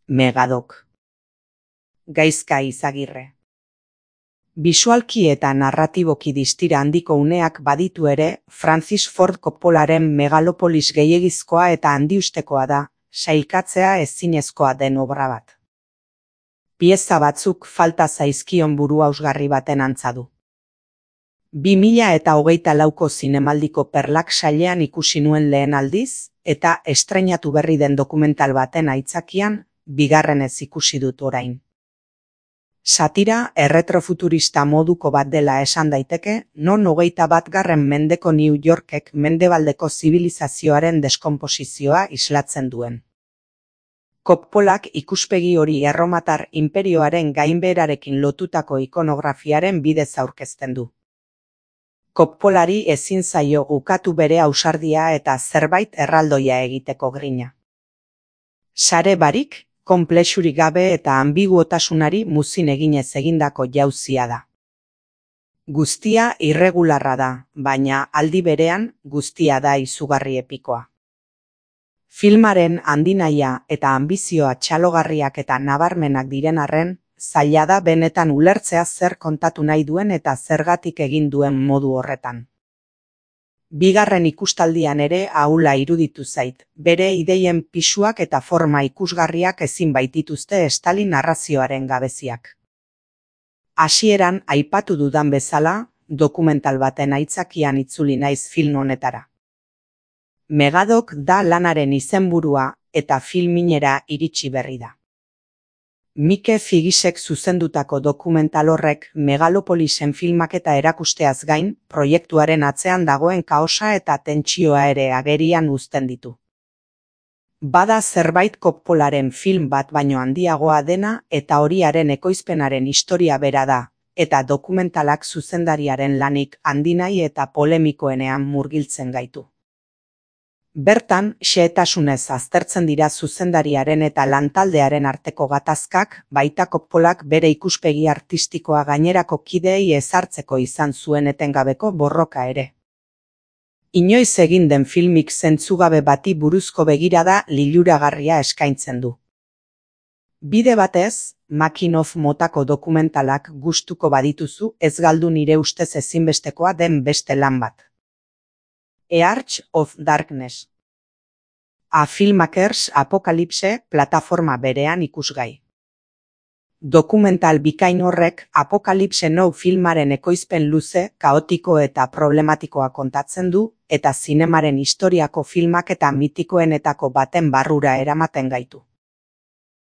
Megadok. Gaizka Izagirre. Bisualki eta narratiboki distira handiko uneak baditu ere, Francis Ford Coppolaren Megalopolis gehiegizkoa eta handiustekoa da, sailkatzea ezinezkoa den obra bat. Pieza batzuk falta zaizkion buruhausgarri baten antza du. 2024ko zinemaldiko Perlak sailean ikusi nuen lehen aldiz, eta estreinatu berri den dokumental baten aitzakian, bigarrenez ikusi dut orain. Satira erretrofuturista moduko bat dela esan daiteke, non 21. mendeko New Yorkek mendebaldeko zibilizazioaren deskonposizioa islatzen duen. Coppolak ikuspegi hori erromatar inperioaren gainbeherarekin lotutako ikonografiaren bidez aurkezten du. Coppolari ezin zaio ukatu bere ausardia eta zerbait erraldoia egiteko grina. Sare barik, konplexurik gabe eta ambiguotasunari muzin eginez egindako jauzia da. Guztia irregularra da, baina aldi berean guztia da izugarri epikoa. Filmaren handinahia eta anbizioa txalogarriak eta nabarmenak diren arren, zaila da benetan ulertzea zer kontatu nahi duen eta zergatik egin duen modu horretan. Bigarren ikustaldian ere ahula iruditu zait, bere ideien pisuak eta forma ikusgarriak ezin baitituzte estali narrazioaren gabeziak. Hasieran aipatu dudan bezala, dokumental baten aitzakian itzuli naiz film honetara. Megadok da lanaren izenburua eta filminera iritsi berri da. Mike Figisek zuzendutako dokumental horrek Megalopolisen filmaketa erakusteaz gain, proiektuaren atzean dagoen kaosa eta tentsioa ere agerian uzten ditu. Bada zerbait Coppolaren film bat baino handiagoa dena eta horiaren ekoizpenaren historia bera da, eta dokumentalak zuzendariaren lanik handinai eta polemikoenean murgiltzen gaitu. Bertan, xehetasunez aztertzen dira zuzendariaren eta lantaldearen arteko gatazkak, baita Coppolak bere ikuspegi artistikoa gainerako kideei ezartzeko izan zuen etengabeko borroka ere. Inoiz egin den filmik zentzugabe bati buruzko begirada liluragarria eskaintzen du. Bide batez, Making-of motako dokumentalak gustuko badituzu ez galdu nire ustez ezinbestekoa den beste lan bat. A Arch of Darkness. A Filmmakers Apocalypse plataforma berean ikusgai. Dokumental bikain horrek Apocalypse Now filmaren ekoizpen luze, kaotiko eta problematikoa kontatzen du, eta zinemaren historiako filmak eta mitikoenetako baten barrura eramaten gaitu.